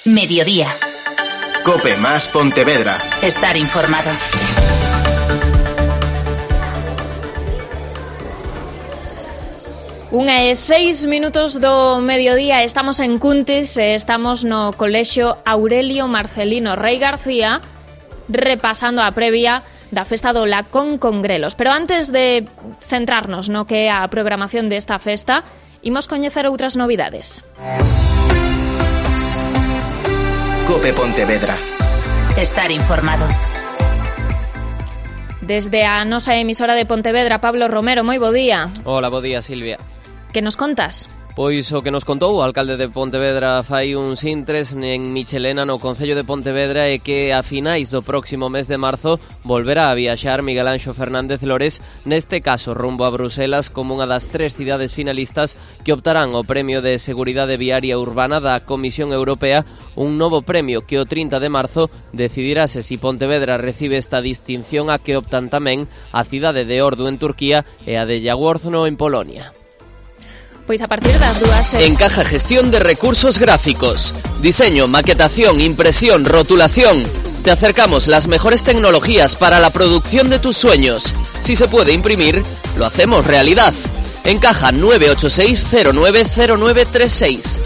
Mediodía. COPE más Pontevedra. Estar informado. Unha e 6 minutos do mediodía. Estamos en Cuntis, estamos no Colexio Aurelio Marcelino Rei García, repasando a previa da festa do Lacón con grelos. Pero antes de centrarnos no que é a programación desta festa, imos coñecer outras novidades. COPE Pontevedra. Estar informado. Desde a nosa emisora de Pontevedra, Pablo Romero, moi bo día. Hola, bo día, Silvia. Que nos contas? Pois o que nos contou o alcalde de Pontevedra fai uns intres en Michelena no Concello de Pontevedra é que a finais do próximo mes de marzo volverá a viaxar Miguel Anxo Fernández Lores, neste caso rumbo a Bruselas, como unha das 3 cidades finalistas que optarán ao Premio de Seguridade Viaria Urbana da Comisión Europea, un novo premio que o 30 de marzo decidirase si Pontevedra recibe esta distinción a que optan tamén a cidade de Ordu en Turquía e a de Jaworzno en Polonia. Pois a partir das dúas... Encaja gestión de recursos gráficos, diseño, maquetación, impresión, rotulación. Te acercamos las mejores tecnologías para la producción de tus sueños. Si se puede imprimir, lo hacemos realidad. Encaja 986-090936.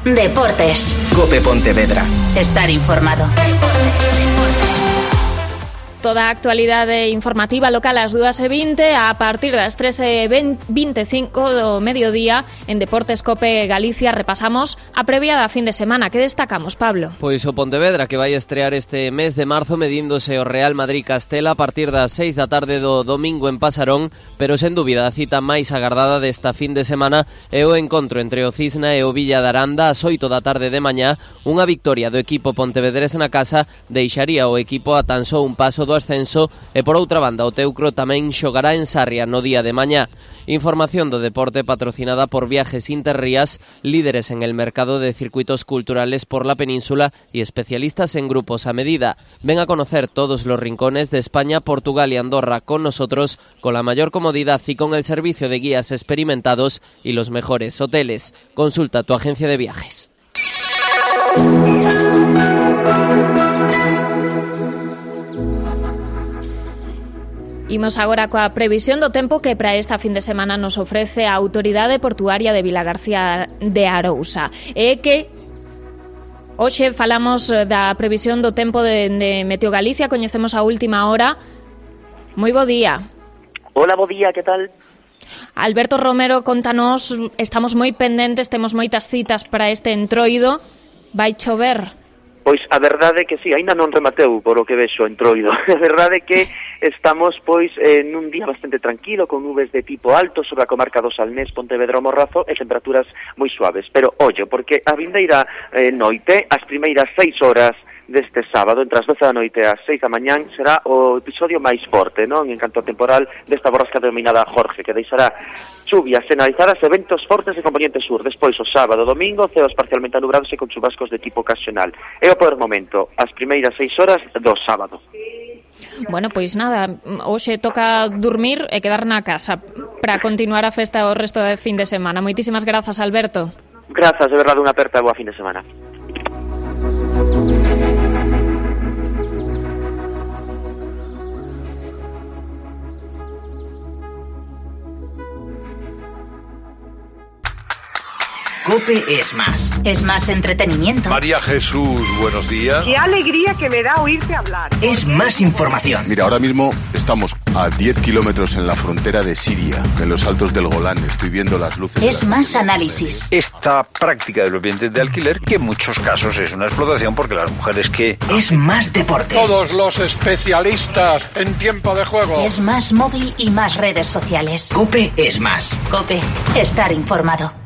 Deportes. COPE Pontevedra. Estar informado. Toda a actualidade informativa local ás 2:20, a partir das 3:25 do mediodía, en Deportes COPE Galicia repasamos a previa da fin de semana. Que destacamos, Pablo? Pois o Pontevedra, que vai estrear este mes de marzo medíndose o Real Madrid Castela a partir das 6 da tarde do domingo en Pasarón, pero sen dúbida a cita máis agardada desta fin de semana é o encontro entre o Cisna e o Villa de Aranda ás 8 da tarde de mañá. Unha victoria do equipo pontevedrés na casa deixaría o equipo a tan só un paso do ascenso e por outra banda o Teucro tamén xogará en Sarria no día de mañá. Información do deporte patrocinada por Viajes Interrías, líderes en el mercado de circuitos culturales por la península y especialistas en grupos a medida. Ven a conocer todos los rincones de España, Portugal y Andorra con nosotros, con la mayor comodidad y con el servicio de guías experimentados y los mejores hoteles. Consulta tu agencia de viajes. Imos agora coa previsión do tempo que para esta fin de semana nos ofrece a Autoridade Portuaria de Vilagarcía de Arousa. É que hoxe falamos da previsión do tempo de Meteo Galicia, coñecemos a última hora. Moi bo día. Hola, bo día, que tal? Alberto Romero, contanos, estamos moi pendentes, temos moitas citas para este entroido. Vai chover? Pois a verdade é que sí, aínda non remateu por o que vexo entroido. A verdade é que estamos pois nun día bastante tranquilo, con nubes de tipo alto sobre a comarca do Salnés, Pontevedra o Morrazo e temperaturas moi suaves. Pero ollo, porque a vindeira noite, as primeiras 6 horas deste sábado, entre as 12 da noite e as 6 da mañán, será o episodio máis forte, non? En canto a temporal desta borrasca denominada Jorge, que deixará chuvias generalizadas e ventos fortes de componente sur. Despois, o sábado, domingo, ceos parcialmente anubrados e con chubascos de tipo ocasional. É o peor momento, as primeiras 6 horas do sábado. Bueno, pois nada, hoxe toca dormir e quedar na casa para continuar a festa o resto de fin de semana. Moitísimas grazas, Alberto. Grazas, de verdade, unha aperta e boa fin de semana. COPE es más. Es más entretenimiento. María Jesús, buenos días. Qué alegría que me da oírte hablar. Es más información. Mira, ahora mismo estamos a 10 kilómetros en la frontera de Siria, en los altos del Golán. Estoy viendo las luces. Es más análisis. Esta práctica de los bienes de alquiler, que en muchos casos es una explotación porque las mujeres que... Es más deporte. Todos los especialistas en tiempo de juego. Es más móvil y más redes sociales. COPE es más. COPE. Estar informado.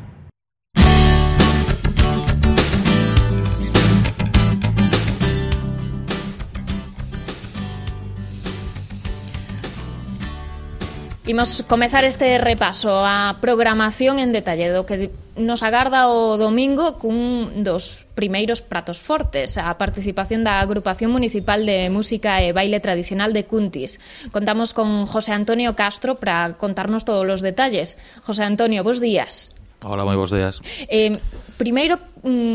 Imos comezar este repaso a programación en detalle do que nos agarda o domingo cun dos primeiros pratos fortes, a participación da Agrupación Municipal de Música e Baile Tradicional de Cuntis. Contamos con José Antonio Castro para contarnos todos os detalles. José Antonio, bos días. Hola, moi bons días. Primeiro,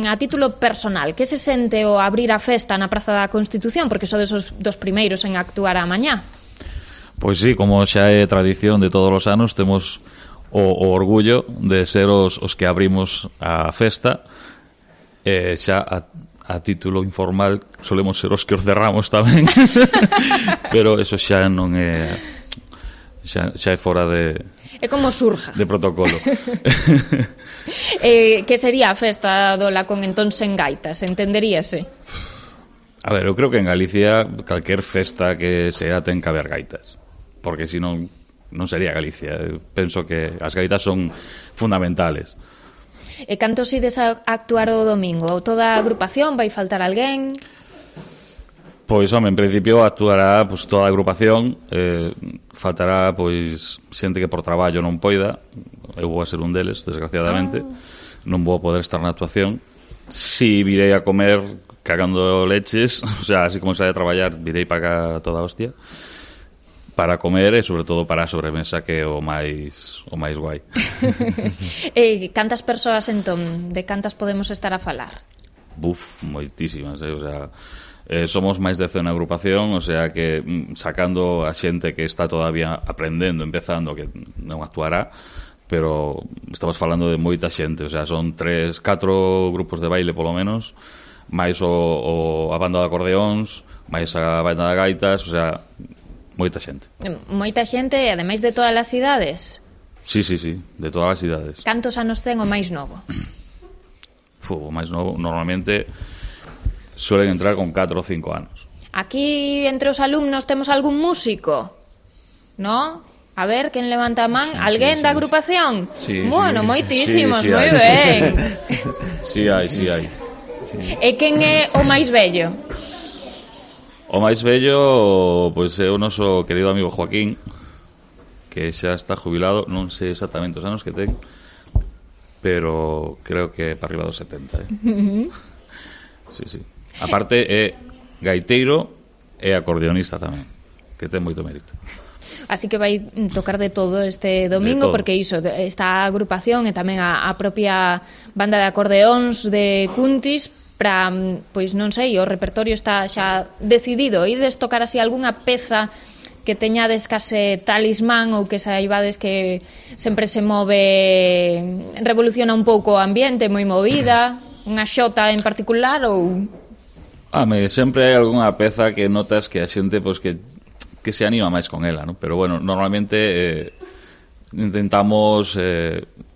a título personal, que se sente o abrir a festa na Praza da Constitución? Porque sodes os dos primeiros en actuar a mañá. Pois sí, como xa é tradición de todos os anos, temos o orgullo de ser os que abrimos a festa. Xa a título informal solemos ser os que os cerramos tamén. Pero eso xa non é... xa é fora de... É como surja. De protocolo. Que sería a festa do Lacón entón sen gaitas, entenderíase? A ver, eu creo que en Galicia calquer festa que sea ten que haber gaitas, porque senón non sería Galicia. Eu penso que as gaitas son fundamentales. E cantos ides a actuar o domingo? Toda a agrupación? Vai faltar alguén? Pois, home, en principio actuará pues, toda a agrupación, faltará pois xente que por traballo non poida, eu vou a ser un deles, desgraciadamente, non vou poder estar na actuación. Si virei a comer cagando leches, o sea, así como sabe a traballar, virei para cá toda a hostia, para comer e sobre todo para a sobremesa, que é o máis guai. Cantas persoas entón? De cantas podemos estar a falar? Buf, moitísimas, o sea... somos máis de 100 na agrupación, o sea que sacando a xente que está todavía aprendendo, empezando, que non actuará, pero estamos falando de moita xente, o sea, son 4 grupos de baile polo menos, máis a banda de acordeóns, máis a banda de gaitas, o sea, moita xente. Moita xente, e ademais de todas as idades? Sí, de todas as idades. Cantos anos ten o máis novo? O máis novo, normalmente... suelen entrar con 4 o 5 anos. Aquí, entre os alumnos, temos algún músico, ¿no? A ver, quen levanta a man? Alguén da agrupación? Sí, bueno, moitísimos, sí, moi ben. Sí hai. E quen é o máis vello? O máis vello, pois é o noso querido amigo Joaquín, que xa está jubilado, non sei exactamente os anos que ten, pero creo que para arriba dos 70, Sí. Aparte é gaiteiro e acordeonista tamén, que ten moito mérito. Así que vai tocar de todo este domingo, porque iso, esta agrupación e tamén a propia banda de acordeóns de Cuntis, para, pois non sei, o repertorio está xa decidido. Ides tocar así algunha peza que teñades case talismán ou que saibades que sempre se move, revoluciona un pouco o ambiente, moi movida, unha xota en particular ou... sempre hai algunha peza que notas que a xente pois, que se anima máis con ela, ¿no? Pero bueno, normalmente intentamos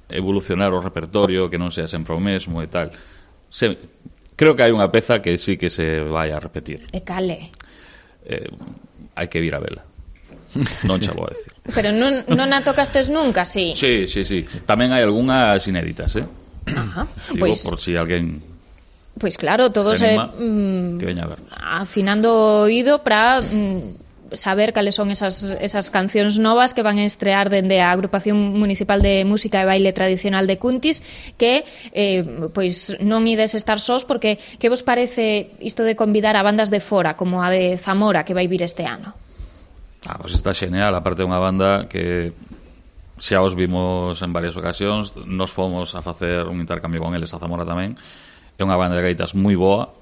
evolucionar o repertorio, que non sea sempre o mesmo e tal. Creo que hai unha peza que sí que se vai a repetir. E cale? Hai que vir a vela. Non xa vou a decir. Pero non a tocastes nunca, sí? Sí. Tamén hai algunhas inéditas, Ajá. Digo, por si alguén... Pois claro, todos que veña a vernos. Afinando o oído para saber cales son esas cancións novas que van a estrear dende a Agrupación Municipal de Música e Baile Tradicional de Cuntis, que pois non ides estar sós, porque que vos parece isto de convidar a bandas de fora, como a de Zamora, que vai vir este ano? Pois está xeneal, aparte unha banda que xa os vimos en varias ocasións, nos fomos a facer un intercambio con eles a Zamora tamén. É unha banda de gaitas moi boa,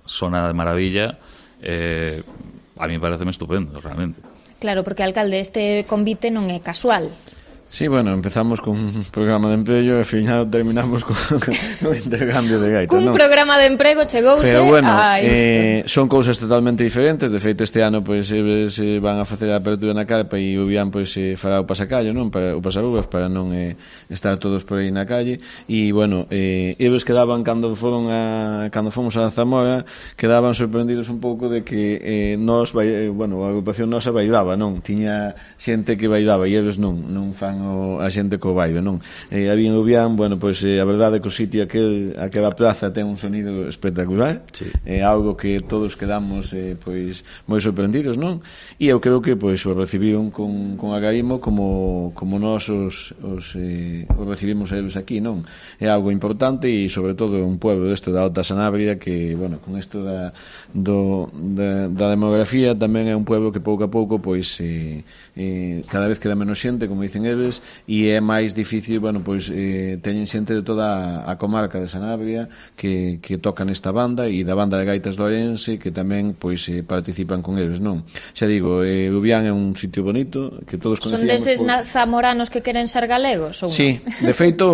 sona de maravilla, a mí pareceme estupendo, realmente. Claro, porque, alcalde, este convite non é casual. Sí, bueno, empezamos con un programa de emprego e ao final terminamos con intercambio de gaitas, Cun programa de emprego chegouse. Pero bueno, son cousas totalmente diferentes. De feito, este ano pois se van a facer a apertura na carpa e o Bian pois fará o pasacallo, non? Para o pasaruvas, para non estar todos por aí na calle. E bueno, eles quedaban cando fomos a Zamora, quedaban sorprendidos un pouco de que nós, bueno, a agrupación nosa bailaba, non? Tiña xente que bailaba e eles non fan a xente co baile, non? Había en Lubián, bueno, pois a verdade é que o sitio aquela plaza ten un sonido espectacular, é algo que todos quedamos pois moi sorprendidos, non? E eu creo que pois o recibiron con agarimo como nós os recibimos a eles aquí, non? É algo importante e sobre todo un pueblo desto da Alta Sanabria que, bueno, con isto da demografía tamén é un pueblo que pouco a pouco pois cada vez queda menos xente, como dicen eles, festivales e é máis difícil, bueno, pois teñen xente de toda a comarca de Sanabria que tocan esta banda e da banda de gaitas do Orense que tamén pois participan con eles, non? Xa digo, Lubián é un sitio bonito que todos conhecíamos. Son deses zamoranos que queren ser galegos ou sí, non? De feito,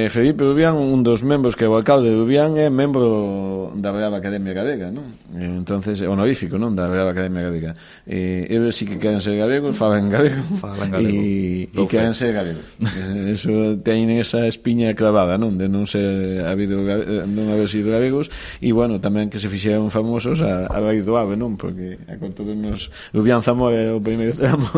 Felipe Lubián, un dos membros que é o alcalde de Lubián é membro da Real Academia Galega, non? Entonces, honorífico, non? Da Real Academia Galega. Eles sí que queren ser galegos, falan galego e queren ser galegos. Eso teñen esa espiña clavada, non? De non ser non haber sido galegos e, bueno, tamén que se fixeron famosos a raíz do ave, non? Porque con todos nos Lubián Zamora é o primeiro tramo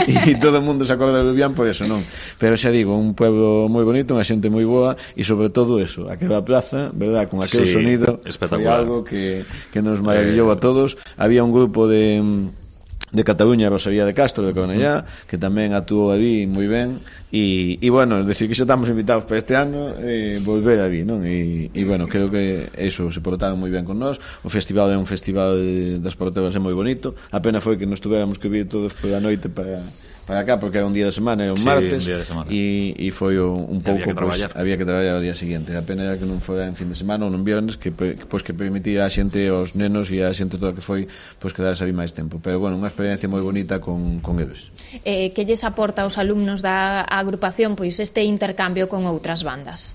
e todo o mundo se acorda de Lubián por eso, non? Pero xa digo, un pueblo moi bonito, unha xente moi boa e sobre todo eso, aquela plaza, verdad, con aquel sonido foi algo que nos maravillou a todos. Había un grupo de Cataluña, Rosalía de Castro de Cornellá, que tamén actuou ali moi ben e bueno, decir que xa estamos invitados para este ano volver ali, non? E bueno, creo que eso, se portaron moi ben con nós. O festival é un festival das porteras, é moi bonito. A pena foi que nos tuveramos que vir todos pola noite para acá, porque era un día de semana, era un martes e foi un pouco, había que traballar o día seguinte. A pena era que non fora en fin de semana ou non viernes, que permitía a xente, aos nenos e a xente toda que foi, quedarse ali máis tempo. Pero bueno, unha experiencia moi bonita con eles. Que lles aporta aos alumnos da agrupación pois este intercambio con outras bandas?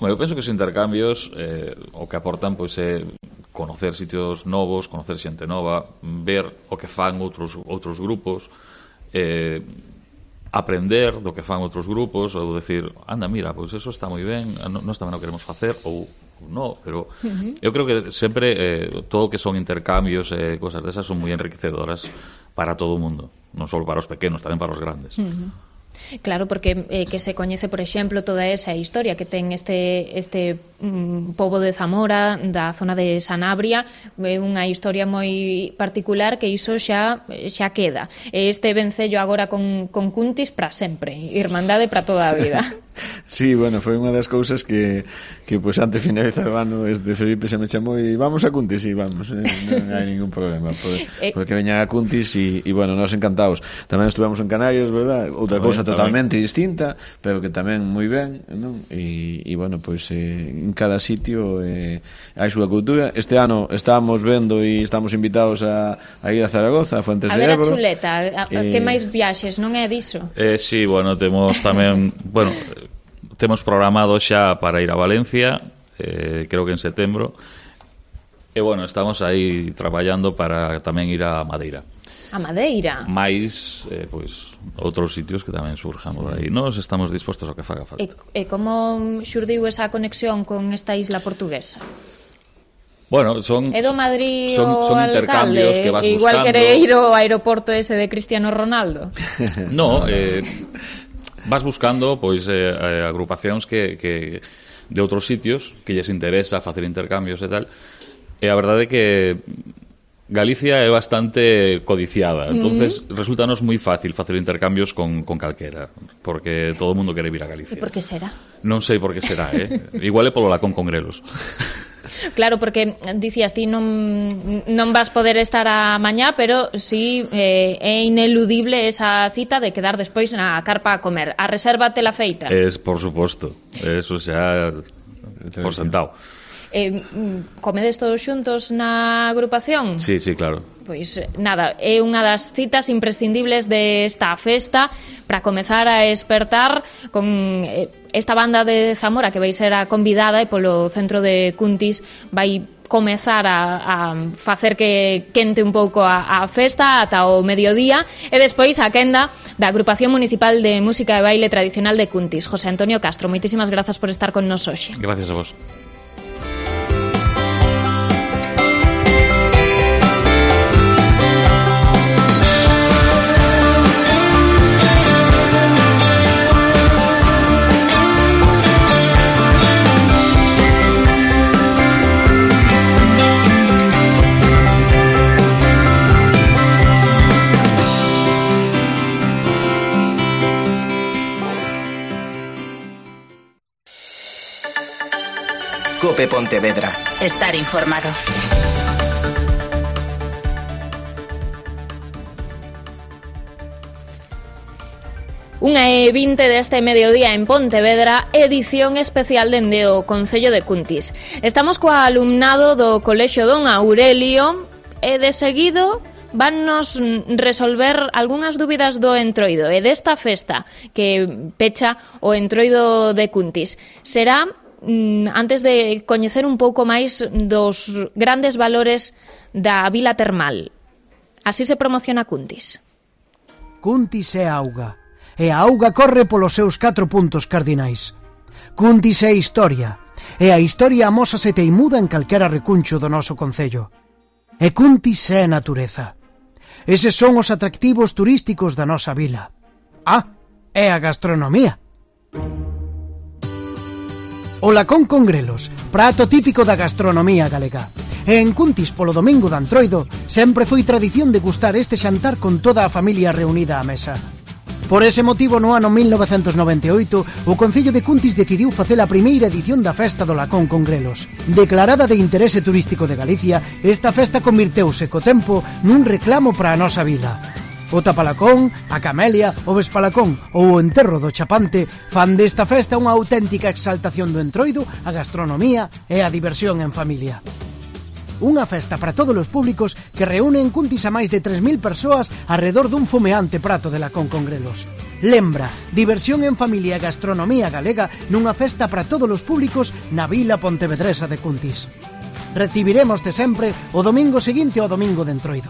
Eu penso que os intercambios o que aportan pois é conocer sitios novos, conocer xente nova, ver o que fan outros grupos, aprender do que fan outros grupos, ou decir, anda, mira, pois eso está moi ben, nós tamén o queremos facer, ou non, pero eu creo que sempre todo o que son intercambios e cosas desas son moi enriquecedoras para todo o mundo, non só para os pequenos, tamén para os grandes. Claro, porque que se coñece, por exemplo, toda esa historia que ten este pobo de Zamora, da zona de Sanabria, é unha historia moi particular que iso xa queda. Este vencello agora con Cuntis para sempre, irmandade para toda a vida. Sí, bueno, foi unha das cousas que pois antes de finalizar o ano Felipe se me chamou e vamos a Cuntis e vamos, non hai ningún problema porque veñan a Cuntis e bueno, nós encantados. Tamén estuvemos en Canarias, verdad? Outra cousa totalmente distinta, pero que tamén moi ben, non? E bueno, pois en cada sitio hai súa cultura. Este ano estábamos vendo e estamos invitados a ir a Zaragoza, a Fuentes de Ebro. A ver a chuleta, que máis viaxes, non é diso? Sí, bueno, temos tamén, bueno, temos programado xa para ir a Valencia, creo que en setembro, e bueno, estamos aí traballando para tamén ir a Madeira. A Madeira? Mais, pois, outros sitios que tamén surjamos aí. Nós estamos dispostos ao que faga falta. E como xurdiu esa conexión con esta isla portuguesa? Bueno, son do Madrid son intercambios que vas buscando. Igual quere ir ao aeroporto ese de Cristiano Ronaldo. No, vas buscando pois agrupacións que de outros sitios que lles interesa facer intercambios e tal. E a verdade é que Galicia é bastante codiciada, entonces resultanos moi fácil facer intercambios con calquera, porque todo o mundo quere vir a Galicia. E por que será? Non sei por que será, igual é polo lacón con grelos. Claro, porque dicías ti non vas poder estar a mañá, pero sí é ineludible esa cita de quedar despois na carpa a comer. A reserva te la feita? Por suposto, eso xa por sentado. Comedes todos xuntos na agrupación? Sí, claro. Pois nada, é unha das citas imprescindibles desta festa para comezar a espertar con esta banda de Zamora que vai ser a convidada e polo centro de Cuntis vai comezar a facer que quente un pouco a festa ata o mediodía e despois a quenda da Agrupación Municipal de Música e Baile Tradicional de Cuntis. José Antonio Castro, moitísimas grazas por estar con nos hoxe. Gracias a vos. COPE Pontevedra. Estar informado. 1:20 deste mediodía en Pontevedra, edición especial dende o Concello de Cuntis. Estamos coa alumnado do Colexio Don Aurelio e de seguido vannos resolver algunhas dúbidas do Entroido e desta festa que pecha o Entroido de Cuntis. Será antes de coñecer un pouco máis dos grandes valores da vila termal. Así se promociona Cuntis. Cuntis é auga, e a auga corre polos seus 4 puntos cardinais. Cuntis é historia, e a historia amósase teimuda en calquera recuncho do noso concello. E Cuntis é natureza. Eses son os atractivos turísticos da nosa vila. É a gastronomía. O lacón con grelos, prato típico da gastronomía galega. E en Cuntis, polo domingo de Entroido, sempre foi tradición de gustar este xantar con toda a familia reunida á mesa. Por ese motivo, no ano 1998, o Concello de Cuntis decidiu facer a primeira edición da Festa do Lacón con Grelos. Declarada de interese turístico de Galicia, esta festa convirteuse co tempo nun reclamo para a nosa vila. O tapalacón, a camelia, o vespalacón ou o enterro do chapante fan desta festa unha auténtica exaltación do Entroido, a gastronomía e a diversión en familia. Unha festa para todos os públicos que reúne en Cuntis a máis de 3.000 persoas arredor dun fumeante prato de lacón con grelos. Lembra, diversión en familia e gastronomía galega nunha festa para todos os públicos na vila pontevedresa de Cuntis. Recibiremoste sempre o domingo seguinte ao domingo de Entroido.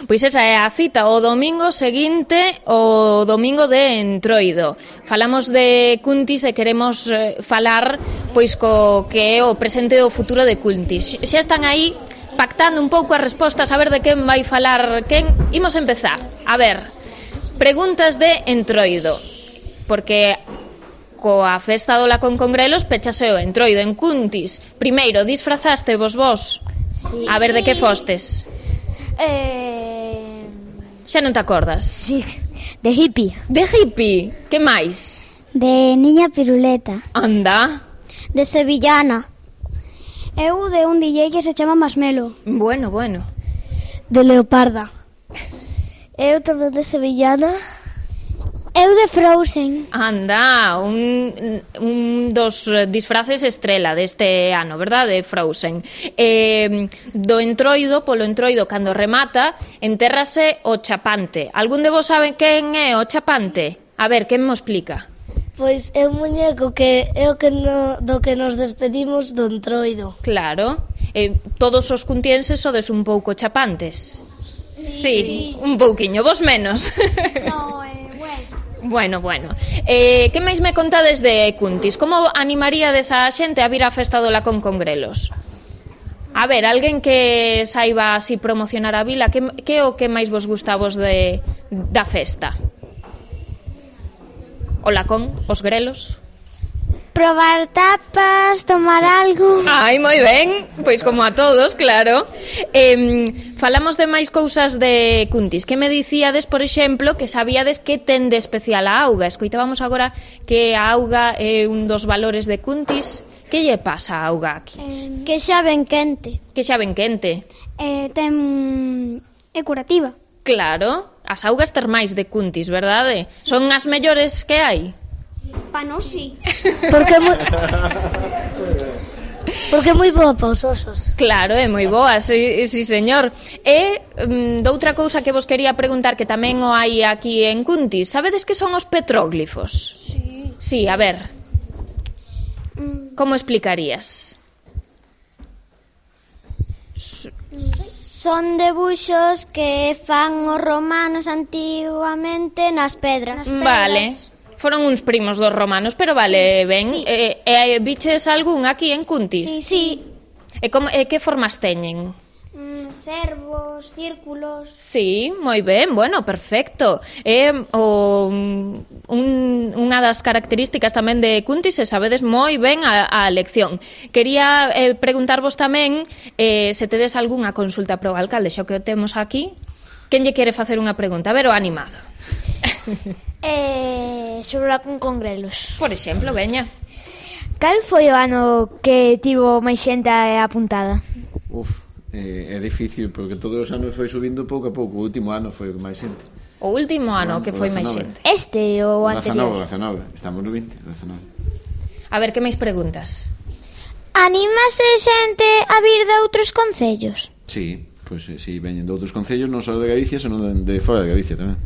Pois esa é a cita, o domingo seguinte o domingo de Entroido. Falamos de Cuntis e queremos falar pois co que é o presente e o futuro de Cuntis. Xa están aí pactando un pouco as respostas, a ver de quen vai falar quen. Imos empezar. A ver, preguntas de Entroido, porque coa festa do Lacón con Grelos pechase o Entroido en Cuntis. Primeiro, disfrazaste vos? Sí. A ver, de que fostes? Xa non te acordas? Sí, de hippie. De hippie? Que máis? De niña piruleta. Anda. De sevillana. Eu de un DJ que se chama Masmelo. Bueno. De leoparda. Eu tamén de sevillana. Eu de Frozen. Anda, un dos disfraces estrela deste ano, verdad? De Frozen. Do Entroido, polo Entroido, cando remata, entérrase o chapante. Algún de vos sabe quen é o chapante? A ver, quen mo explica? Pois é un muñeco que é o que do que nos despedimos do Entroido. Claro. Todos os cuntienses sodes un pouco chapantes. Sí, un pouquiño, vos menos. No, Bueno. Que máis me contades de Cuntis? Como animaríades a xente a vir á festa do Lacón con Grelos? A ver, alguén que saiba así promocionar a vila, que é o que máis vos gusta vos da festa? O Lacón, os Grelos? Probar tapas, tomar algo. Ai, moi ben, pois como a todos, claro. Falamos de máis cousas de Cuntis. Que me dicíades, por exemplo, que sabíades que ten de especial a auga? Escoitábamos agora que a auga é un dos valores de Cuntis. Que lle pasa a auga aquí? Que xa ben quente. Que xa ben quente. É curativa. Claro, as augas termais de Cuntis, verdade? Son as mellores que hai? Pa nós sí. Porque é moi boa pa os osos. Claro, é moi boa, sí señor. E doutra cousa que vos quería preguntar, que tamén o hai aquí en Cuntis, sabedes que son os petróglifos? Sí. Sí, a ver. Como explicarías? Son debuxos que fan os romanos antiguamente nas pedras. Vale. Foron uns primos dos romanos, pero vale, ben. Sí. Viches algún aquí en Cuntis? Sí. E que formas teñen? Cervos, círculos. Sí, moi ben, bueno, perfecto. Unha das características tamén de Cuntis, e sabedes moi ben a lección. Quería preguntarvos tamén se tedes algunha consulta pro alcalde, xa que o temos aquí. Quen lle quere facer unha pregunta? A ver, o animado. Sobre o Lacón con Grelos. Por exemplo, veña. Cal foi o ano que tivo máis xente apuntada? É difícil, porque todos os anos foi subindo pouco a pouco. O último ano foi o que máis xente. O último ano que foi máis xente. Este ou anterior? 19, estamos no 20, 19. A ver, que máis preguntas? Anímase xente a vir de outros concellos? Sí, pois si veñen de outros concellos, non só de Galicia, senón de fora de Galicia tamén.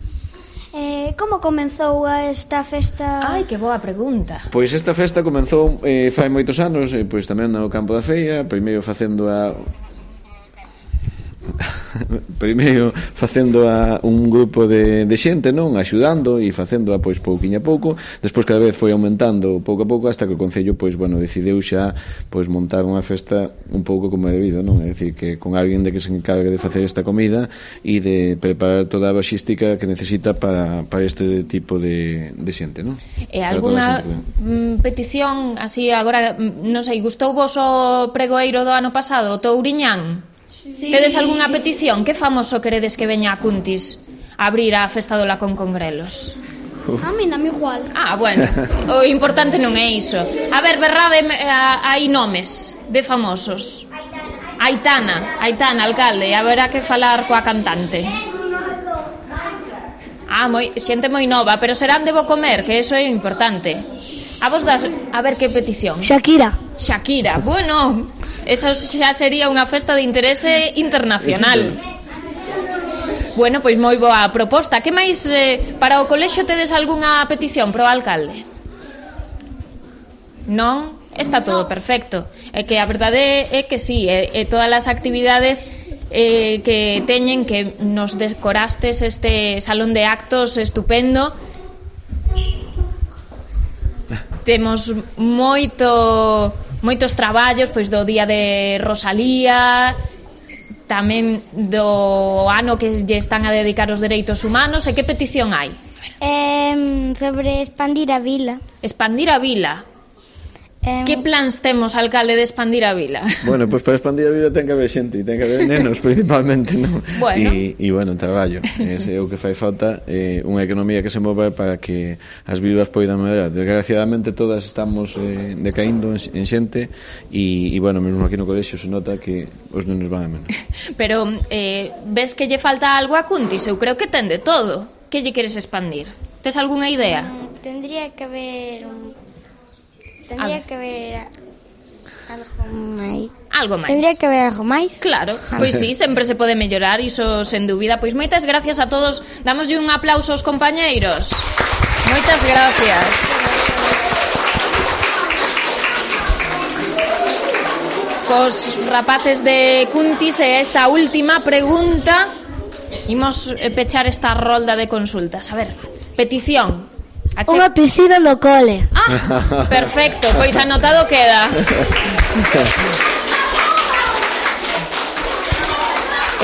Como comenzou esta festa? Ai, que boa pregunta. Pois esta festa comenzou fai moitos anos, pois tamén no campo da feira, primeiro facendo un grupo de xente, non, axudando e facendo pois pouquiño a pouco. Despois cada vez foi aumentando pouco a pouco hasta que o concello pois bueno, decidiu xa pois montar unha festa un pouco como é debido, non? É dicir, que con alguén de que se encargue de facer esta comida e de preparar toda a logística que necesita para este tipo de xente, non? E algunha petición así agora, non sei, gustou vos o pregoeiro do ano pasado, o Touriñán? Sí. Tedes algunha petición? Que famoso queredes que veña a Cuntis a abrir a festa do Lacón con Grelos? A mí dame igual. Bueno, o importante non é iso. A ver, berrade hai nomes de famosos. Aitana, alcalde, haberá que falar coa cantante. Xente moi nova, pero serán de bo comer, que eso é importante. A vos das, a ver que petición. Shakira, bueno, eso xa sería unha festa de interese internacional. Bueno, pois moi boa proposta. Que máis para o colexio tedes algunha petición pro alcalde? Non? Está todo perfecto. É que a verdade é que sí, e todas as actividades que teñen, que nos decorastes este salón de actos estupendo. Temos moitos traballos, pois do día de Rosalía, tamén do ano que lle están a dedicar os dereitos humanos. E que petición hai? Sobre expandir a vila. Expandir a vila. Que plans temos, alcalde, de expandir a vila? Bueno, pois para expandir a vila ten que haber xente, ten que haber nenos principalmente, non? Bueno. E bueno, traballo. Ese é o que fai falta, unha economía que se move para que as vidas poidan medrar. Desgraciadamente todas estamos decaindo en xente e bueno, mesmo aquí no colexio se nota que os nenos van a menos. Pero ves que lle falta algo a Cuntis? Eu creo que ten de todo. Que lle queres expandir? Tes algunha idea? Tendría que haber algo máis. Tendría que haber algo máis. Claro, pois sí, sempre se pode mellorar, iso sen dúbida. Pois moitas gracias a todos. Damoslle un aplauso aos compañeiros. Moitas gracias. Cos rapaces de Cuntis e esta última pregunta imos pechar esta rolda de consultas. A ver, petición. Unha piscina no cole. Perfecto, pois anotado queda.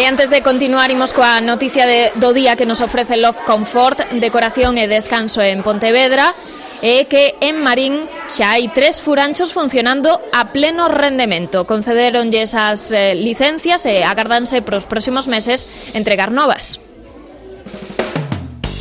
E antes de continuar, imos coa noticia do día que nos ofrece Love Comfort, decoración e descanso en Pontevedra, e que en Marín xa hai 3 furanchos funcionando a pleno rendemento. Concederonlle esas licencias e agardanse pros próximos meses entregar novas.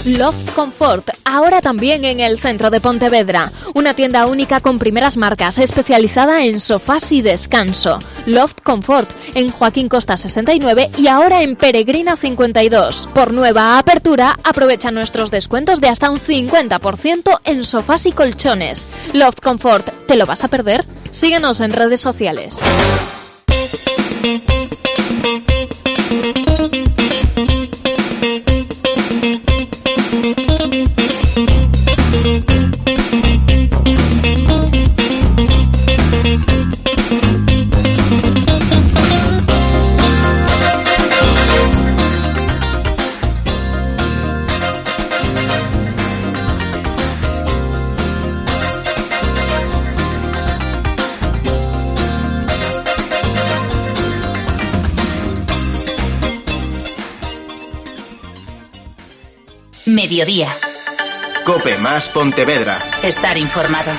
Love Comfort, ahora también en el centro de Pontevedra. Una tienda única con primeras marcas, especializada en sofás y descanso. Love Comfort, en Joaquín Costa 69 y ahora en Peregrina 52. Por nueva apertura, aprovecha nuestros descuentos de hasta un 50% en sofás y colchones. Love Comfort, ¿te lo vas a perder? Síguenos en redes sociales. Mediodía. Cope más Pontevedra. Estar informado.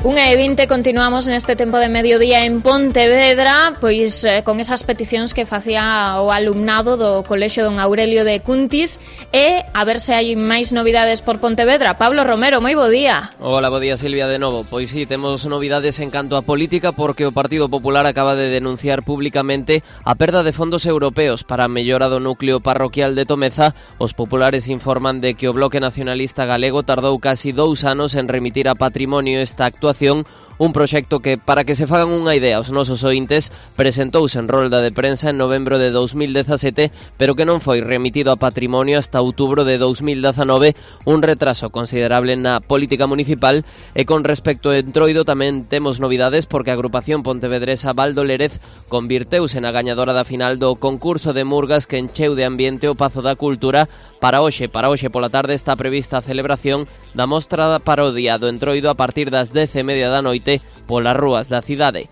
1:20, continuamos neste tempo de mediodía en Pontevedra, pois con esas peticións que facía o alumnado do Colexio Don Aurelio de Cuntis, e a ver se hai máis novidades por Pontevedra. Pablo Romero, moi bo día. Hola, bo día, Silvia, de novo. Pois sí, temos novidades en canto a política, porque o Partido Popular acaba de denunciar públicamente a perda de fondos europeos para a mellora do núcleo parroquial de Tomeza. Os populares informan de que o Bloque Nacionalista Galego tardou casi 2 anos en remitir a Patrimonio esta actuación, un proxecto que, para que se fagan unha idea aos nosos ointes, presentouse en rolda de prensa en novembro de 2017, pero que non foi remitido a Patrimonio hasta outubro de 2019, un retraso considerable na política municipal. E con respecto a Entroido tamén temos novidades, porque a agrupación pontevedresa Baldo Lérez convirteuse na gañadora da final do concurso de murgas que encheu de ambiente o Pazo da Cultura. Para hoxe pola tarde está prevista a celebración da mostra da parodia do Entroido a partir das 10:30 da noite polas rúas da cidade.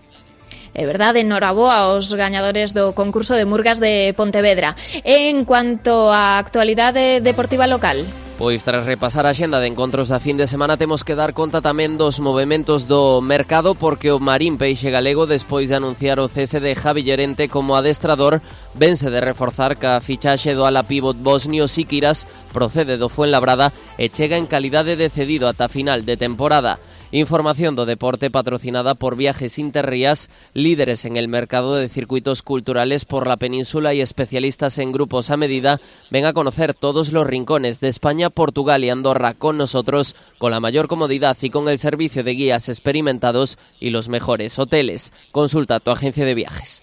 É verdade, noraboa aos gañadores do concurso de murgas de Pontevedra. En cuanto á actualidade deportiva local, pois tras repasar a xenda de encontros da fin de semana, temos que dar conta tamén dos movementos do mercado, porque o Marín Peixe Galego, despois de anunciar o cese de Javi Llorente como adestrador, vense de reforzar ca fichaxe do ala pívot bosnio Sikiras, procede do Fuenlabrada e chega en calidade de cedido ata final de temporada. Información do deporte patrocinada por Viajes Interrías, líderes en el mercado de circuitos culturales por la península y especialistas en grupos a medida. Ven a conocer todos los rincones de España, Portugal y Andorra con nosotros, con la mayor comodidad y con el servicio de guías experimentados y los mejores hoteles. Consulta tu agencia de viajes.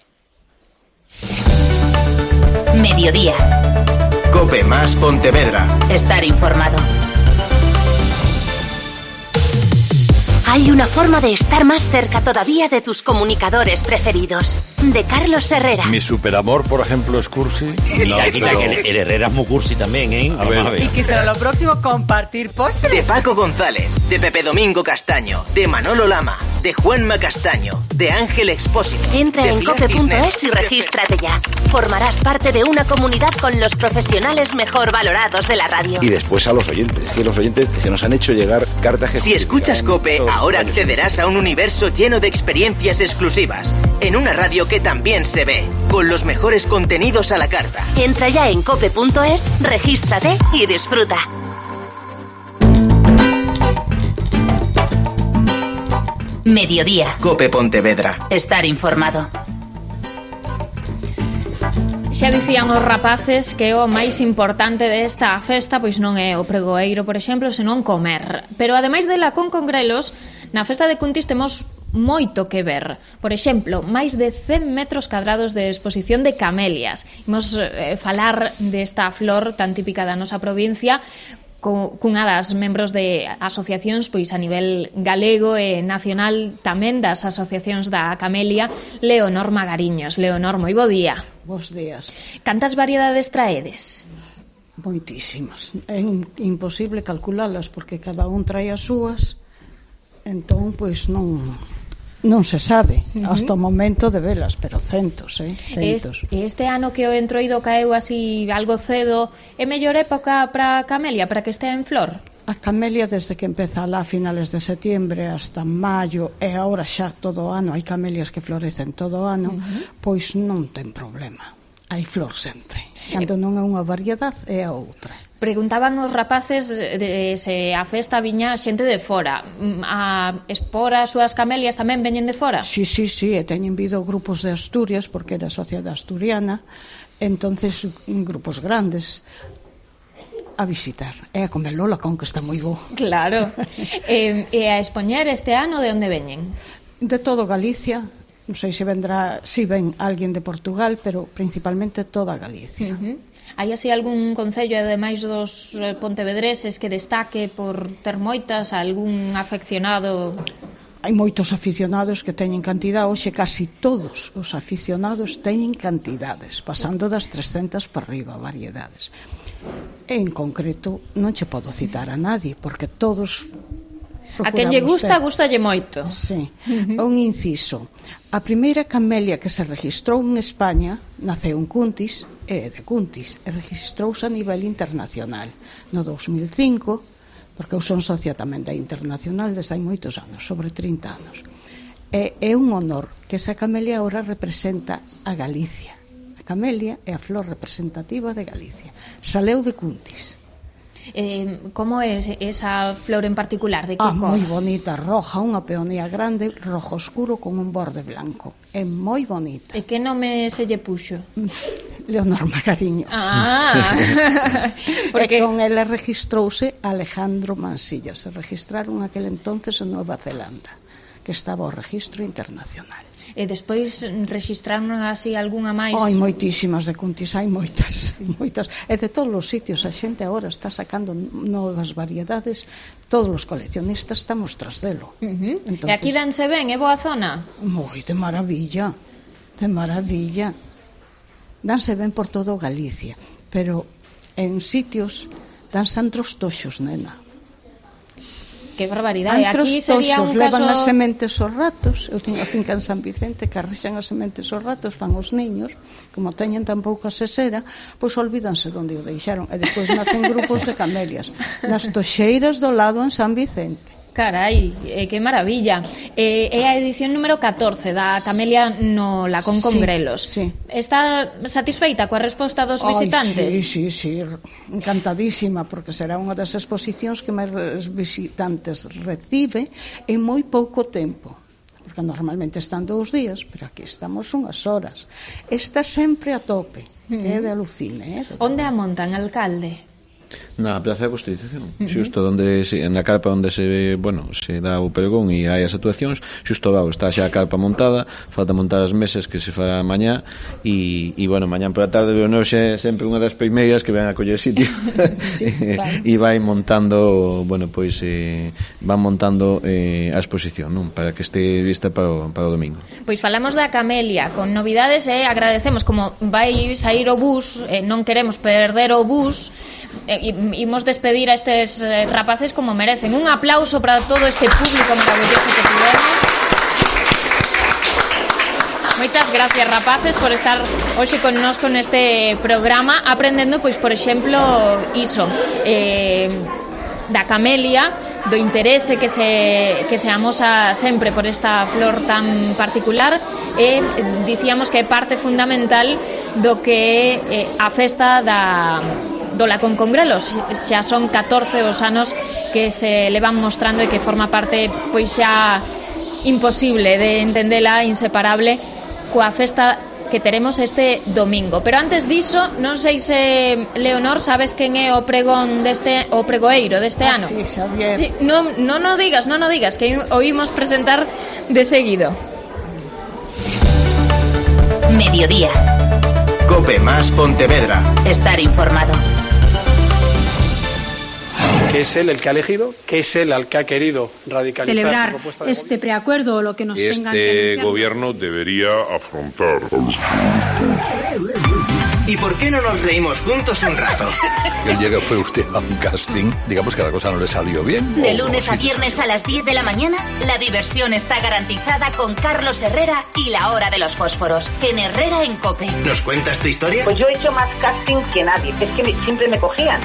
Mediodía. COPE más Pontevedra. Estar informado. Hay una forma de estar más cerca todavía de tus comunicadores preferidos. De Carlos Herrera. Mi superamor, por ejemplo, es cursi. No, pero el Herrera es muy cursi también, ¿eh? A ver. Y que será lo próximo compartir postres. De Paco González, de Pepe Domingo Castaño, de Manolo Lama, de Juanma Castaño, de Ángel Expósito. Entra en cope.es y regístrate ya. Formarás parte de una comunidad con los profesionales mejor valorados de la radio. Y después a los oyentes, que los oyentes que nos han hecho llegar cartas. Si escuchas COPE, ahora accederás a un universo lleno de experiencias exclusivas, en una radio que también se ve, con los mejores contenidos a la carta. Entra ya en cope.es, regístrate y disfruta. Mediodía. COPE Pontevedra. Estar informado. Xa dicían os rapaces que o máis importante desta festa pois non é o pregoeiro, por exemplo, senón comer. Pero ademais de la con congrelos, na festa de Cuntis temos moito que ver. Por exemplo, máis de 100 metros cadrados de exposición de camelias. Imos falar desta flor tan típica da nosa provincia, cunha das membros de asociacións pois a nivel galego e nacional, tamén das asociacións da camelia, Leonor Magariños. Leonor, moi bo día. Bos días. Cantas variedades traedes? Moitísimas. É imposible calculalas porque cada un trae as súas, entón pois non se sabe hasta o momento de velas, pero centos, centos. Este ano que o Entroido caeu así algo cedo, é mellor época para a camelia, para que estea en flor? A camelia desde que empeza lá a finales de setiembre hasta maio, e agora xa todo o ano, hai camelias que florecen todo o ano, pois non ten problema. Hai flor sempre. Cando non é unha variedade, é a outra. Preguntaban os rapaces de se a festa viña xente de fora. A expor as súas camelias tamén veñen de fora? Sí, e teñen vido grupos de Asturias, porque era sociedade asturiana, entonces grupos grandes a visitar. E a comelo la con, que está moi bo. Claro. E a expoñer este ano de onde veñen? De todo Galicia. Non sei se vendrá, si ven alguén de Portugal, pero principalmente toda Galicia. Hai así algún concello, ademais dos pontevedreses, que destaque por ter moitas, algún afeccionado? Hai moitos aficionados que teñen cantidad. Hoxe casi todos os aficionados teñen cantidades, pasando das 300 para arriba, variedades. En concreto non che podo citar a nadie, porque todos a quen lle gusta, gustalle moito. Sí. Un inciso. A primeira camelia que se registrou en España naceu en Cuntis, e de Cuntis, e registrouse a nivel internacional. No 2005 porque eu son socia tamén da Internacional desde hai moitos anos, sobre 30 anos. É un honor que esa camelia ahora representa a Galicia. A camelia é a flor representativa de Galicia. Saleu de Cuntis. Como é esa flor en particular? De que cor? Moi bonita, roja, unha peonía grande, rojo oscuro con un borde blanco. É moi bonita. E que nome se lle puxo? Leonor Magariños. Porque con ela registrouse Alejandro Mansilla. Se registraron aquel entonces en Nova Zelanda, que estaba o registro internacional. E despois registraron así algunha máis? Hai moitísimas de Cuntis, hai moitas. E de todos os sitios, a xente agora está sacando novas variedades, todos os coleccionistas estamos tras delo. Entonces, e aquí danse ben, é boa zona? Moi, de maravilla, de maravilla. Danse ben por todo Galicia, pero en sitios danse antros toxos, nena. Que barbaridade. Aquí sería un caso... levan as sementes aos ratos. Eu teño a finca en San Vicente que arrexan as sementes aos ratos, fan os niños, como teñen tan pouca sesera, pois olvídanse onde o deixaron, e despois nacen grupos de camelias nas toxeiras do lado en San Vicente. Carai, que maravilla. É a edición número 14 da Camelia no Lacón Congrelos. Sí. Está satisfeita coa resposta dos visitantes? Sí, encantadísima, porque será unha das exposicións que máis visitantes recibe en moi pouco tempo, porque normalmente están 2 días, pero aquí estamos unhas horas. Está sempre a tope, é de alucine. Onde a montan, alcalde? Na Praza de Constitución, xusto onde na carpa onde se dá o pregón e hai as actuacións, xusto abaixo está xa a carpa montada, falta montar as mesas que se fará mañá e mañá pola tarde veo noxe sempre unha das primeiras que ven a coller sitio e vai montando van montando a exposición, non? Para que este lista para o domingo. Pois falamos da Camelia con novidades e agradecemos, como vai sair o bus, non queremos perder o bus, imos despedir a estes rapaces como merecen. Un aplauso para todo este público maravilloso que tivemos. Moitas gracias, rapaces, por estar hoxe connosco neste programa, aprendendo, pois, por exemplo, iso, da camelia, do interese que se amosa sempre por esta flor tan particular, e dicíamos que é parte fundamental do que é a festa do Lacón Congrelos. Xa son 14 os anos que se levan mostrando e que forma parte, pois xa imposible de entendela, inseparable coa festa que teremos este domingo. Pero antes diso, non sei se, Leonor, sabes quen é o pregón o pregoeiro deste ano? Sí, Xavier. Sí, non o digas, que oímos presentar de seguido. Mediodía. Cope más Pontevedra. Estar informado. Que es él el que ha elegido, que es él el que ha querido radicalizar celebrar su propuesta de este preacuerdo o lo que nos tengan que anunciar. Este gobierno debería afrontar. ¿Y por qué no nos reímos juntos un rato? El día que fue usted a un casting, digamos que la cosa no le salió bien. De lunes a viernes a las 10 de la mañana, la diversión está garantizada con Carlos Herrera y la hora de los fósforos, en Herrera en COPE. ¿Nos cuentas tu historia? Pues yo he hecho más casting que nadie, es que siempre me cogían.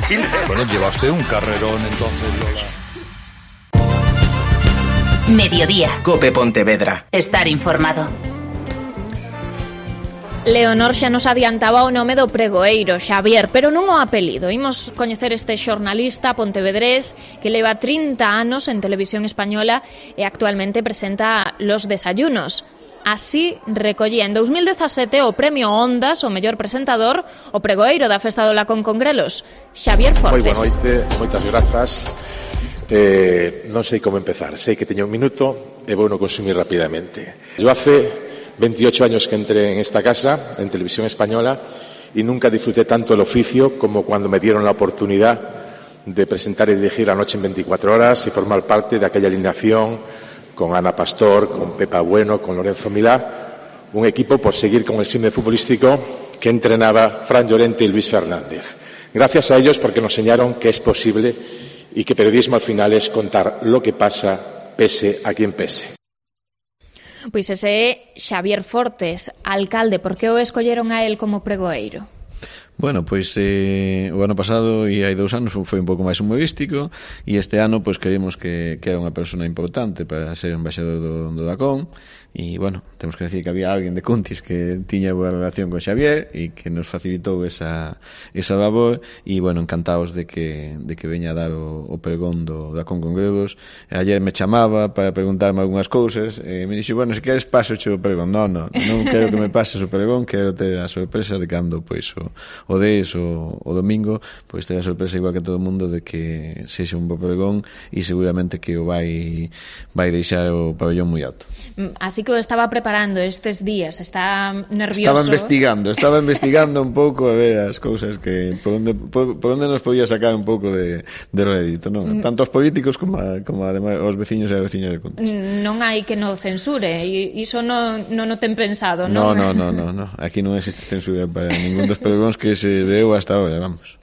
Bueno, lleva usted un carrerón entonces, Lola. Mediodía. COPE Pontevedra. Estar informado. Leonor xa nos adiantaba o nome do pregoeiro, Xavier, pero non o apelido. Imos coñecer este xornalista pontevedrés que leva 30 anos en televisión española e actualmente presenta Los Desayunos. Así recollía en 2017 o premio Ondas, o mellor presentador, o pregoeiro da Festa do Lacón Congrelos, Xavier Fortes. Moi boa noite, moitas grazas. Non sei como empezar, sei que teño un minuto e vou no consumir rapidamente. Eu hace 28 años que entré en esta casa, en Televisión Española, y nunca disfruté tanto el oficio como cuando me dieron la oportunidad de presentar y dirigir La Noche en 24 horas y formar parte de aquella alineación con Ana Pastor, con Pepa Bueno, con Lorenzo Milá, un equipo por seguir con el símil futbolístico que entrenaba Fran Llorente y Luis Fernández. Gracias a ellos porque nos enseñaron que es posible y que periodismo al final es contar lo que pasa, pese a quien pese. Pois ese é Xavier Fortes, alcalde. Por que o escolleron a él como pregoeiro? Bueno, pois o ano pasado e hai 2 anos foi un pouco máis humorístico e este ano pois creímos que era unha persona importante para ser embaixador do Dacón e, bueno, temos que decir que había alguén de Cuntis que tiña boa relación con Xavier e que nos facilitou esa labor e, bueno, encantados de que veña a dar o pregón do Dacón con Gregos. Ayer me chamaba para preguntarme algunhas cousas e me dixo, bueno, se queres paso o pregón. Non quero que me pases o pregón, quero ter a sorpresa de cando pois o des o domingo, pois ter a sorpresa igual que todo o mundo de que sexa un bo pregón e seguramente que o vai deixar o pabellón moi alto. Así que o estaba preparando estes días, está nervioso. Estaba investigando un pouco a ver as cousas que por onde nos podía sacar un pouco de rédito, non? Tanto os políticos como ademais os veciños e as veciñas de Cuntis. Non hai que no censure, iso non o ten pensado, non? No. Aquí non existe censura para ningún dos pregóns que se veu hasta ahora, vamos.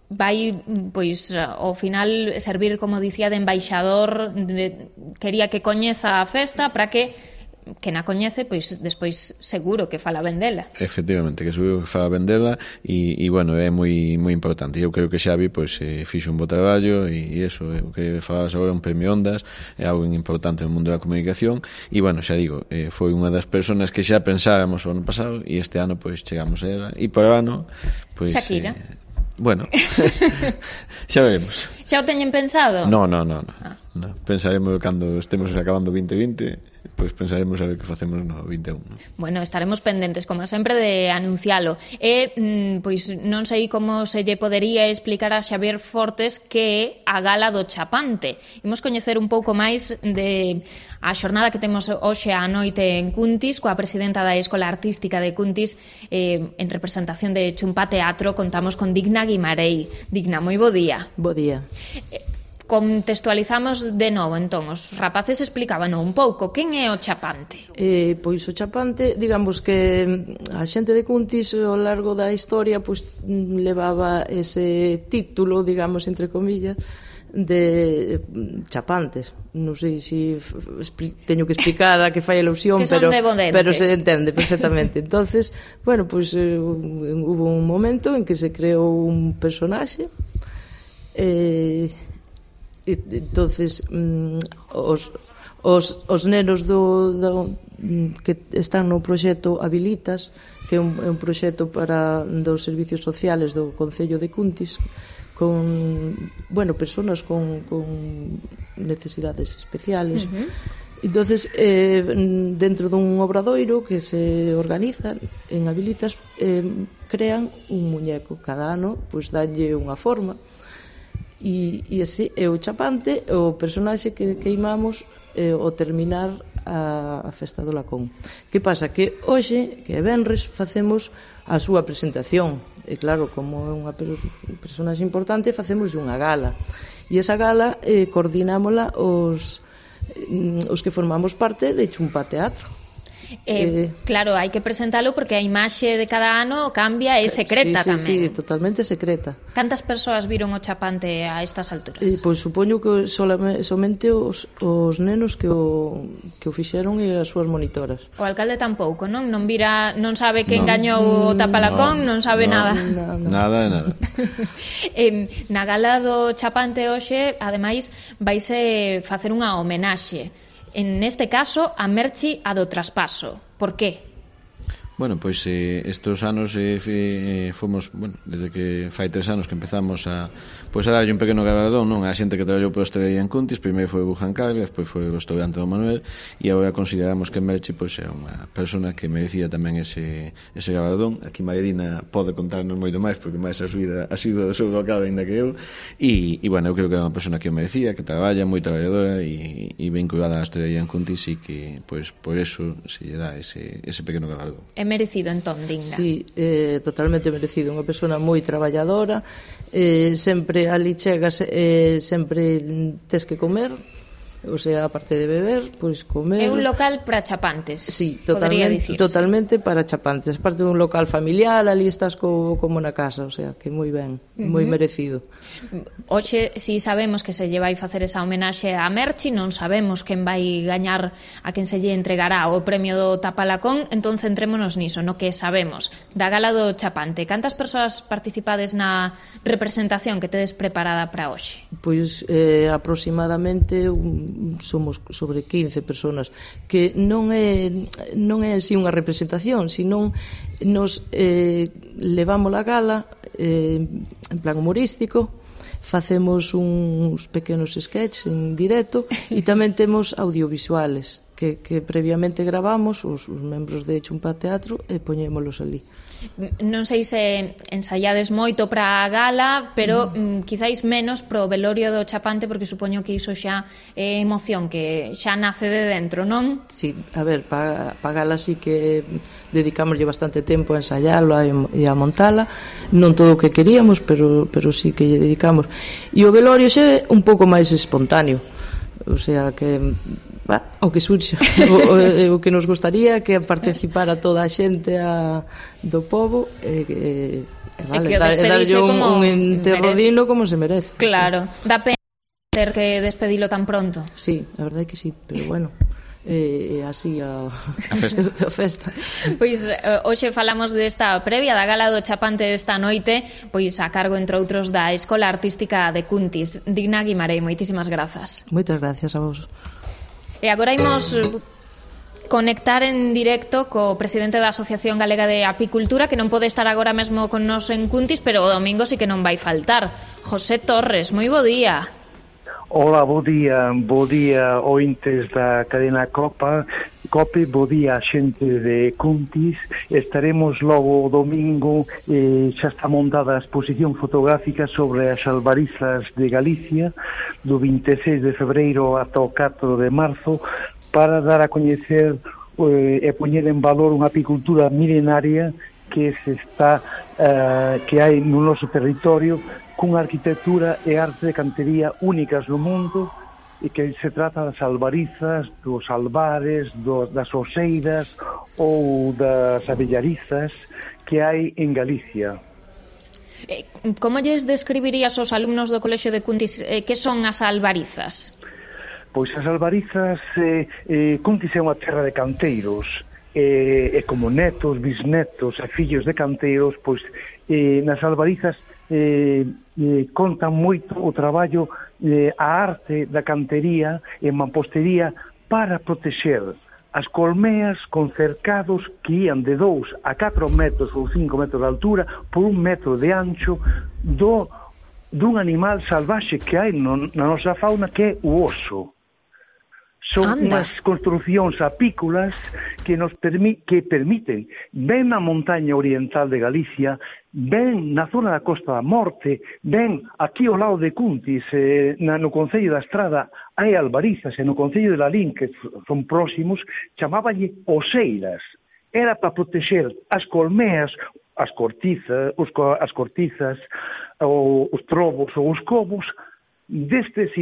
Vai, pois, ao final servir, como dicía, de embaixador, quería que coñeza a festa para que na coñece, pois despois seguro que fala ben dela. Efectivamente, que seguro que fala ben dela e bueno, é moi importante. Eu creo que Xavi pois fixo un bo traballo e eso, o que falabas agora, un premio Ondas, é algo importante no mundo da comunicación e, bueno, xa digo, foi unha das persoas que xa pensábamos o ano pasado e este ano pois chegamos a ela e por ano pois Shakira. Bueno, xa veremos. Xa o teñen pensado? No. Pensaremos cando estemos acabando 2020, pois pensaremos a ver que facemos no 21. Bueno, estaremos pendentes, como sempre, de anuncialo. Pois non sei como se lle podería explicar a Xavier Fortes que é a Gala do Chapante. Imos coñecer un pouco máis de a xornada que temos hoxe á noite en Cuntis, coa presidenta da Escola Artística de Cuntis, en representación de Chumpá Teatro. Contamos con Digna Guimarei. Digna, moi bo día. Bo día. Contextualizamos de novo, entón, os rapaces explicaban un pouco quen é o Chapante. Pois o Chapante, digamos que a xente de Cuntis ao largo da historia pois levaba ese título, digamos, entre comillas, de chapantes. Non sei se teño que explicar a que fai alusión, pero se entende perfectamente. Entonces, bueno, pois hubo un momento en que se creou un personaxe entonces os nenos que están no proxecto Habilitas, que é un proxecto para dos servicios sociales do Concello de Cuntis, con, bueno, personas con necesidades especiales. Entonces, dentro dun obradoiro que se organiza en Habilitas, crean un muñeco. Cada ano, pois, danlle unha forma. E ese é o Chapante, o personaxe que queimamos ao terminar a festa do Lacón. Que pasa? Que hoxe, que é venres, facemos a súa presentación. E claro, como é unha personaxe importante, facemos unha gala. E esa gala coordinámola os que formamos parte de Chumpá Teatro. Claro, hai que presentalo porque a imaxe de cada ano cambia, é secreta tamén. Sí, totalmente secreta. Cantas persoas viron o Chapante a estas alturas? Pois supoño que somente os nenos que o fixeron e as súas monitoras. O alcalde tampouco, non? Non sabe quen gañou o Tapalacón, non sabe nada. Nada. Na gala do Chapante hoxe, ademais, vaise facer unha homenaxe. En este caso, a Merchi a do Traspaso. Por qué? Bueno, pois estos anos fomos, bueno, desde que fai 3 anos que empezamos a darlle un pequeno galardón, non, a xente que traballou por hostelería en Cuntis. Primeiro foi o Bujan Carga, despois foi o restaurante do Manuel e agora consideramos que Merchi pois é unha persona que merecía tamén ese galardón. Aquí Maridina pode contarnos moito máis porque máis a sido do seu local ainda que eu e bueno, eu creo que é unha persona que o merecía, que traballa, moi traballadora e vinculada á hostelería en Cuntis e que pois por eso se lle dá ese pequeno galardón. Merecido, entón, Digna. Sí, totalmente merecido. Unha persona moi traballadora, sempre ali chegas, sempre tes que comer, O sea, aparte de beber, pois comer... É un local para chapantes, sí, totalmente para chapantes. Parte dun local familiar, ali estás como na casa, o sea, que moi ben, moi merecido. Hoxe, si sabemos que se lle vai facer esa homenaxe a Merchi, non sabemos quen vai gañar, a quen se lle entregará o premio do Tapalacón, entón centrémonos niso, no que sabemos. Da gala do Chapante, cantas persoas participades na representación que tedes preparada para hoxe? Pois aproximadamente somos sobre 15 personas, que non é así unha representación, sino nos levamos a gala en plan humorístico, facemos uns pequenos sketches en directo e tamén temos audiovisuales que previamente gravamos os membros de Chumpa Teatro e poñémolos ali. Non sei se ensaiades moito para a gala, pero quizáis menos pro velorio do Chapante, porque supoño que iso xa é emoción que xa nace de dentro, non? Sí, a ver, para a gala sí que dedicámoslle bastante tempo a ensaiarlo e a montala, non todo o que queríamos, pero sí que lle dedicamos. E o velorio xa é un pouco máis espontáneo, o sea que o que surxe o que nos gustaría que participara toda a xente do pobo e darlle un enterro digno como se merece. Claro, dá pena ter que despedilo tan pronto. Sí, a verdade é que sí, pero bueno, así a festa. Pois hoxe falamos desta previa da gala do Chapante esta noite, pois a cargo entre outros da Escola Artística de Cuntis. Digna Guimarei, moitísimas grazas. Moitas gracias a vos. E agora imos conectar en directo co presidente da Asociación Galega de Apicultura, que non pode estar agora mesmo con nos en Cuntis, pero o domingo sí que non vai faltar. José Torres, moi bo día. Hola, bo día ointes da cadena COPE, bo día xente de Cuntis. Estaremos logo o domingo, xa está montada a exposición fotográfica sobre as albarizas de Galicia do 26 de febreiro ata o 4 de marzo, para dar a coñecer e poñer en valor unha apicultura milenaria que hai no noso territorio, cunha arquitectura e arte de cantería únicas no mundo, e que se trata das albarizas, dos albares, das oseiras ou das abellarizas que hai en Galicia. Como lles describirías aos alumnos do Colexio de Cuntis que son as albarizas? Pois as albarizas, Cuntis é unha terra de canteiros, e como netos, bisnetos e fillos de canteiros, pois nas albarizas contan moito o traballo, a arte da cantería e mampostería para protexer as colmeas con cercados que ían de 2 a 4 metros ou 5 metros de altura por 1 metro de ancho dun animal salvaxe que hai na nosa fauna, que é o oso. Son unhas construcións apícolas que nos permiten, ben na montaña oriental de Galicia, ben na zona da Costa da Morte, ben aquí ao lado de Cuntis, no Concello da Estrada, hai albarizas, e no Concello de Lalín, que son próximos, chamábanlle oseiras. Era para protexer as colmeas, as cortizas, os trobos ou os cobos, destes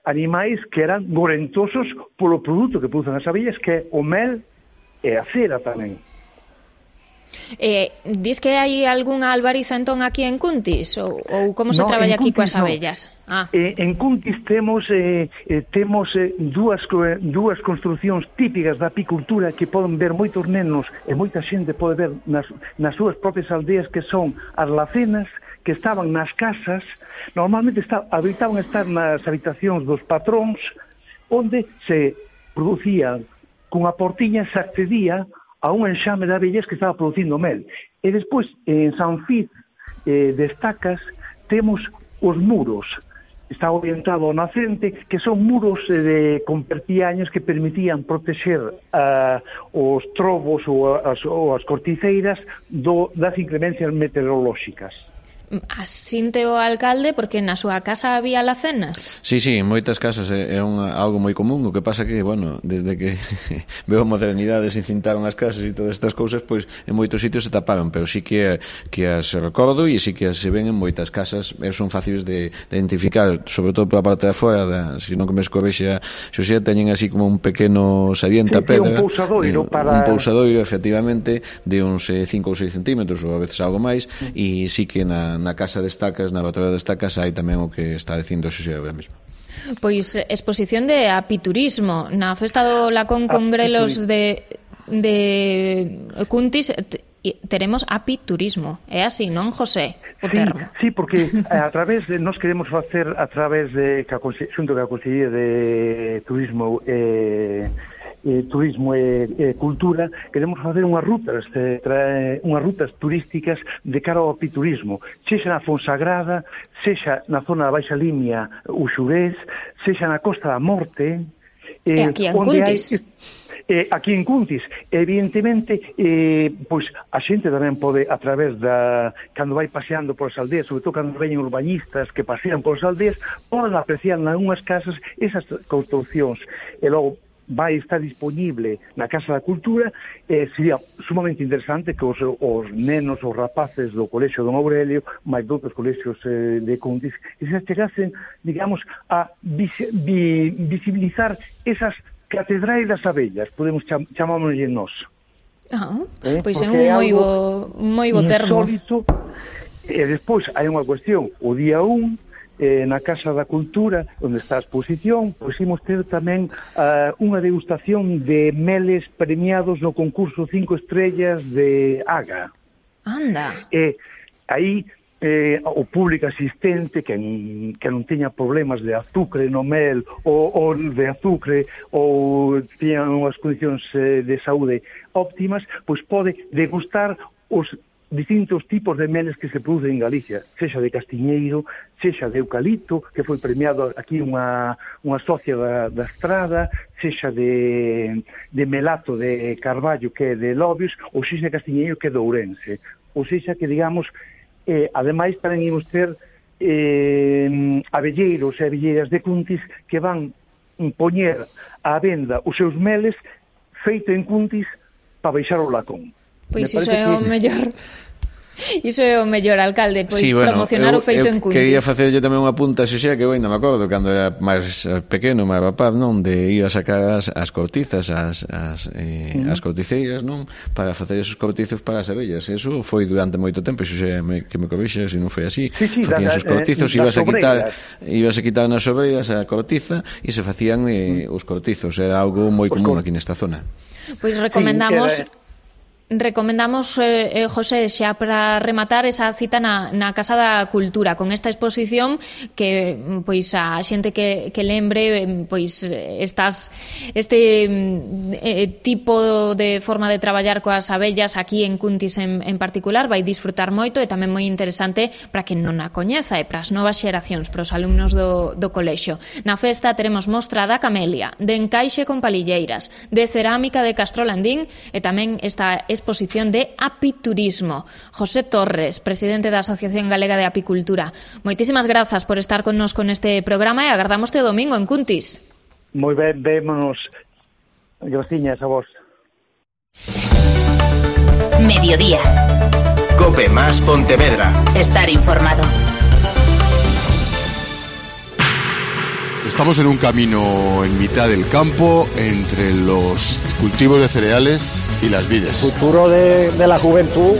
animais que eran gorentosos polo produto que producen as abellas, que é o mel e a cera tamén. Dis que hai algunha albariza entón aquí en Cuntis? Ou como se traballa aquí coas abellas? En Cuntis temos dúas construcións típicas da apicultura que poden ver moitos nenos e moita xente pode ver nas súas propias aldeas, que son as lacenas, que estaban nas casas, normalmente habitaban estar nas habitacións dos patróns, onde se producía cunha portiña, se accedía a un enxame de abellas que estaba producindo mel. E despois, en San Fiz de Estacas, temos os muros. Está orientado ao nacente, que son muros con perpiaños que permitían protexer os trobos ou as corticeiras das inclemencias meteorolóxicas. asinte o alcalde porque na súa casa había lacenas. Sí, en moitas casas é algo moi común. O que pasa que, bueno, desde que veo a modernidade se cintaron as casas e todas estas cousas, pois en moitos sitios se taparon, pero sí que as recordo e sí que as se ven en moitas casas e son fáciles de identificar, sobre todo pola parte de afuera, se non que me escorrexa Xosé, teñen así como un pequeno saliente a pedra, un pousadoiro un pousadoiro, efectivamente, de uns 5 ou 6 centímetros ou a veces algo máis, e sí que na casa de estacas, na batería de estacas, hai tamén o que está dicindo Xosé agora mesmo. Pois exposición de apiturismo na festa do Lacón Congrelos de Cuntis. Teremos apiturismo, é así, non, José? O termo. Sí, porque nos queremos facer a través de xunto que a Consellería de Turismo Turismo e Cultura, queremos facer unhas rutas turísticas de cara ao apiturismo, sexa na Fonsagrada, sexa na zona da Baixa Limia, o Xurés, sexa na Costa da Morte, aquí en Cuntis. Aquí en Cuntis, evidentemente, pois a xente tamén pode, a través cando vai paseando polas aldeas, sobre todo cando veñen urbanistas que pasean polas aldeas, poden apreciar nalgúnas casas esas construccións, e logo vai estar disponible na Casa da Cultura. Sería sumamente interesante que os nenos, os rapaces do Colexio Don Aurelio, máis doutros colexios de Cuntis, que se chegasen, digamos, a visibilizar esas catedrais das abellas, podemos chamámoslle nós. Pois é un moi bo termo. Insólito. E despois hai unha cuestión, o día 1, na Casa da Cultura, onde está a exposición, pois imos ter tamén unha degustación de meles premiados no concurso 5 estrellas de Aga. Anda. Aí o público asistente que non teña problemas de azucre no mel ou de azucre ou teña unhas condicións de saúde óptimas, pois pode degustar os distintos tipos de meles que se producen en Galicia, sexa de castiñeiro, sexa de eucalipto, que foi premiado aquí unha socia da Estrada, sexa de melato de Carballo, que é de Lobios, ou sexa de castiñeiro, que é de Ourense. Ou sexa que, digamos, ademais tamén imos ter abelleiros e abelleiras de Cuntis que van poñer á venda os seus meles feito en Cuntis para baixar o Lacón. Pois iso é o mellor. Iso é o mellor, alcalde, pois sí, bueno, promocionar o feito en Cuntis. Quería facerlle tamén unha punta, Xosé, que eu ainda me acordo cando era máis pequeno, máis rapaz, non, de ir a sacar as cortizas, as corticeiras, non, para facer esos cortizos para as abellas. Eso foi durante moito tempo, Xosé, que me corrixa se non foi así. Facían esos cortizos, ibas a quitar nas obreiras a cortiza e se facían os cortizos. Era algo moi común aquí nesta zona. Pois recomendamos, José, xa para rematar esa cita na Casa da Cultura con esta exposición que pois a xente que lembre pois este tipo de forma de traballar coas abellas aquí en Cuntis en particular vai disfrutar moito e tamén moi interesante para quen non a coñeza e para as novas xeracións, para os alumnos do colexio. Na festa teremos mostra da camelia, de encaixe con palilleiras, de cerámica de Castrolandín e tamén esta exposición de apiturismo. José Torres, presidente da Asociación Galega de Apicultura. Moitísimas grazas por estar connosco neste programa e agardámoste o domingo en Cuntis. Moi ben, vémonos. Graciñas a vos. Mediodía. Cope más Pontevedra. Estar informado. Estamos en un camino en mitad del campo entre los cultivos de cereales y las vides. El futuro de la juventud,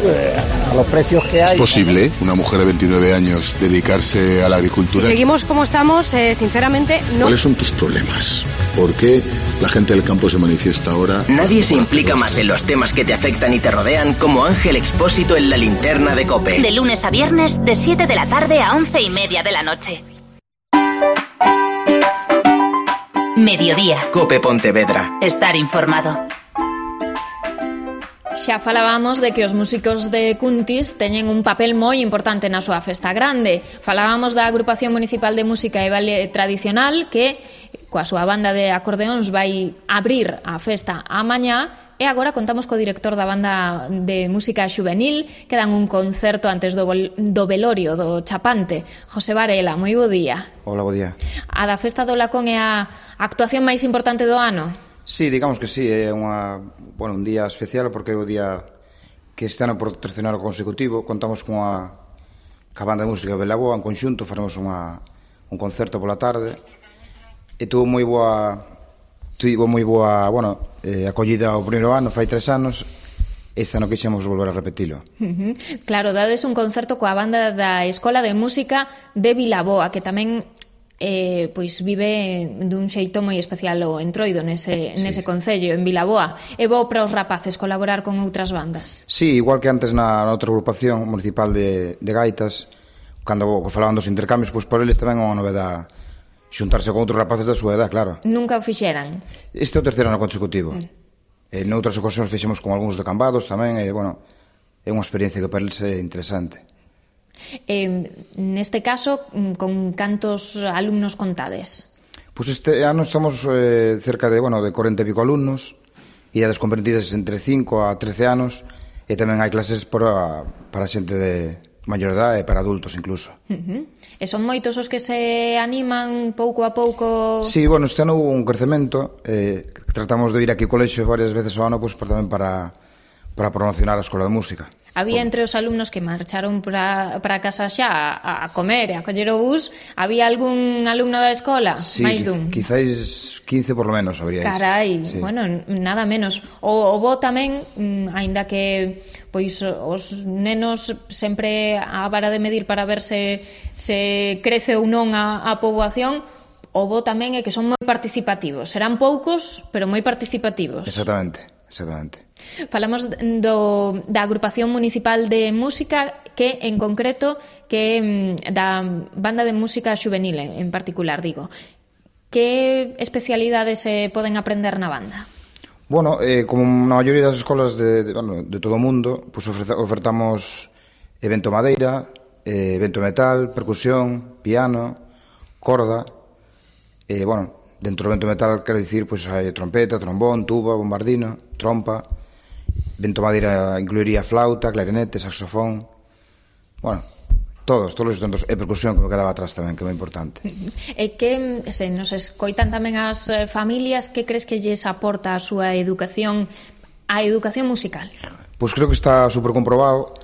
a los precios que hay. ¿Es posible una mujer de 29 años dedicarse a la agricultura? Si seguimos como estamos, sinceramente no. ¿Cuáles son tus problemas? ¿Por qué la gente del campo se manifiesta ahora? Nadie se implica más en los temas que te afectan y te rodean como Ángel Expósito en la Linterna de COPE. De lunes a viernes, de 7 de la tarde a 11:30 de la noche. Mediodía. COPE Pontevedra. Estar informado. Xa falábamos de que os músicos de Cuntis teñen un papel moi importante na súa festa grande. Falábamos da Agrupación Municipal de Música e Baile Tradicional que coa súa banda de acordeóns vai abrir a festa a mañá. E agora contamos co director da banda de música xuvenil, que dan un concerto antes do velorio do Chapante. José Varela, moi bo día. Hola, bo día. A da Festa do Lacón é a actuación máis importante do ano? Sí, digamos que sí, é un día especial porque é o día que este ano por terceiro ano consecutivo consecutivo contamos ca banda de música de Vilaboa en conxunto, faremos un concerto pola tarde e tuvo moi boa acollida o primeiro ano, fai 3 anos. Este ano quixemos volver a repetilo. Claro, dades un concerto coa banda da Escola de Música de Vilaboa, que tamén vive dun xeito moi especial o Entroido nese concello, en Vilaboa. É bo para os rapaces colaborar con outras bandas? Sí, igual que antes na outra agrupación municipal de gaitas, cando falaban dos intercambios, pois por eles tamén é unha novedade xuntarse con outros rapaces da súa edad, claro. Nunca o fixeran? Este é o terceiro ano consecutivo. Noutras ocasións fixemos con algúns de Cambados tamén, é unha experiencia que para eles é interesante. Neste caso, con cantos alumnos contades? Pois este ano estamos cerca de 40 e pico alumnos, idades comprendidas entre 5 a 13 anos, e tamén hai clases para xente de maior edade e para adultos incluso. E son moitos os que se animan pouco a pouco? Sí, este ano hubo un crecemento, tratamos de ir aquí ao colexio varias veces ao ano tamén para promocionar a Escola de Música. Había entre os alumnos que marcharon para casa xa a comer e a coller o bus, había algún alumno da escola? Sí, máis dun? Quizáis 15 por lo menos habría. Carai, sí. Nada menos. O bo tamén, aínda que os nenos sempre a vara de medir para ver se crece ou non a poboación, o bo tamén é que son moi participativos. Serán poucos, pero moi participativos. Exactamente. Falamos da agrupación municipal de música que en concreto que da banda de música xuvenil en particular, digo. Que especialidades se poden aprender na banda? Como na maioría das escolas de todo o mundo, ofertamos evento madeira, evento metal, percusión, piano, corda. Dentro do vento metal, quero dicir, hai trompeta, trombón, tuba, bombardino, trompa. Vento madeira incluiría flauta, clarinete, saxofón. Todos os instrumentos. E percusión, que me quedaba atrás tamén, que é moi importante. E que se nos escoitan tamén as familias, que crees que lles aporta a súa educación, a educación musical? Pois creo que está super comprobado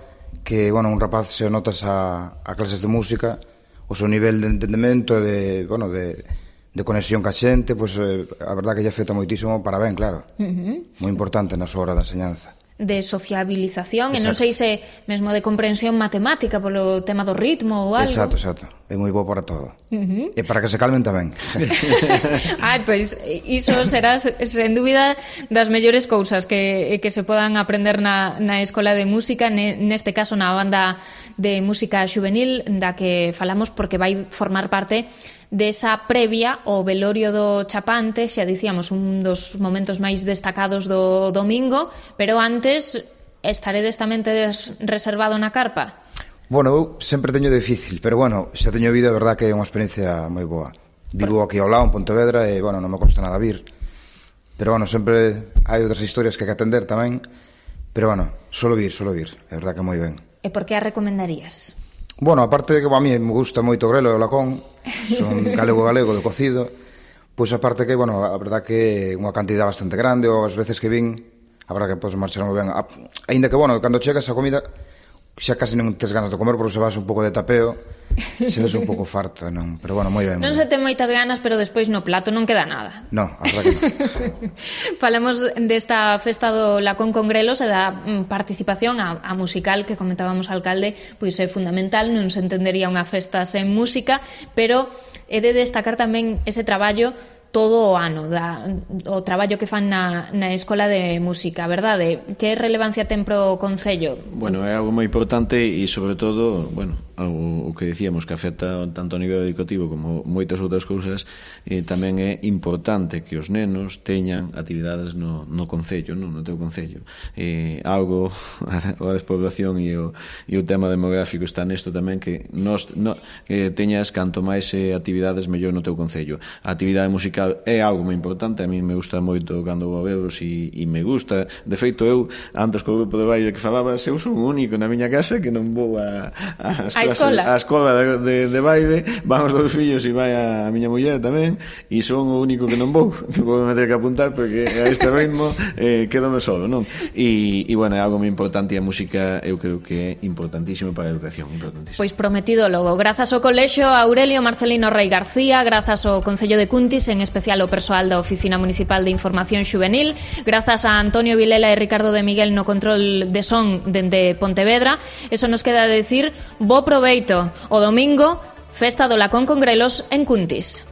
que, un rapaz se notas a clases de música, o seu nivel de entendemento, de conexión ca xente, a verdad que lle afecta moitísimo para ben, claro. Moi importante na súa hora de enseñanza. De sociabilización, e non sei se mesmo de comprensión matemática polo tema do ritmo ou algo. Exacto. É moi bo para todo. E para que se calmen tamén. Iso será, sen dúbida, das mellores cousas que se podan aprender na Escola de Música, neste caso na banda de música xuvenil, da que falamos porque vai formar parte desa previa ao velorio do Chapante, xa dicíamos, un dos momentos máis destacados do domingo, pero antes estaredes tamén reservado na carpa? Eu sempre teño difícil, pero xa teño vido, a verdad que é unha experiencia moi boa. Vivo aquí ao lado, en Pontevedra, e non me costa nada vir. Pero sempre hai outras historias que hai que atender tamén, pero solo vir, é verdad que moi ben. E por que a recomendarías? Aparte de que a mí me gusta moito o grelo e o lacón, son galego de cocido, aparte que, a verdad que é unha cantidad bastante grande, ou as veces que vin, a verdad que podes marchar moi ben. Ainda que, cando chegas a comida, xa casi non tes ganas de comer, porque se vas un pouco de tapeo, se ves un pouco farto, non? Pero moi ben. Non se ten moitas ganas, pero despois no plato non queda nada. Non, a verdad que non. Falamos desta festa do Lacón con grelos e da participación a musical que comentábamos ao alcalde, pois é fundamental, non se entendería unha festa sen música, pero é de destacar tamén ese traballo todo o ano, o traballo que fan na Escola de Música, verdade? Que relevancia ten pro Concello? É algo moi importante e, sobre todo, o que dicíamos que afecta tanto a nivel educativo como moitas outras cousas, tamén é importante que os nenos teñan actividades no Concello, no teu Concello. Algo, a despoblación e o tema demográfico está nesto tamén, que teñas canto máis actividades mellor no teu Concello. A actividade musical musical é algo moi importante, a mí me gusta moito cando vou a veros e me gusta. De feito, eu, antes co grupo de baile que falabas, eu son o único na miña casa que non vou a escola de baile, van os dous fillos e vai a miña muller tamén, e son o único que non vou. Vou ter que apuntar porque a este ritmo quedome solo, non? E bueno, é algo moi importante e a música eu creo que é importantísimo para a educación, importantísimo. Pois prometido logo, grazas ao Colexio Aurelio Marcelino Rei García, grazas ao Concello de Cuntis, en especial ao persoal da Oficina Municipal de Información Xuvenil, grazas a Antonio Vilela e Ricardo de Miguel no control de son dende Pontevedra. Eso nos queda decir bo proveito. O domingo, festa do Lacón con Grelos en Cuntis.